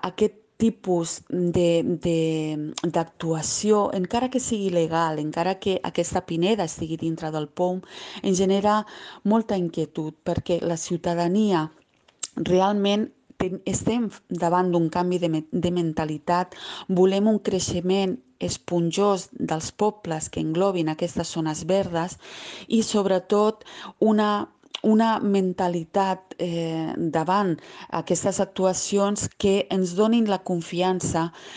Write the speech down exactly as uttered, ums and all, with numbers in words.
aquest tipus de- de- d'actuació, encara que sigui legal, encara que aquesta pineda estigui dintre del P O M, ens genera molta inquietud, perquè la ciutadania realment ten- estem davant d'un canvi de, me- de mentalitat, volem un creixement esponjós dels pobles que englobin aquestes zones verdes i sobretot una, una mentalitat eh, davant aquestes actuacions que ens donin la confiança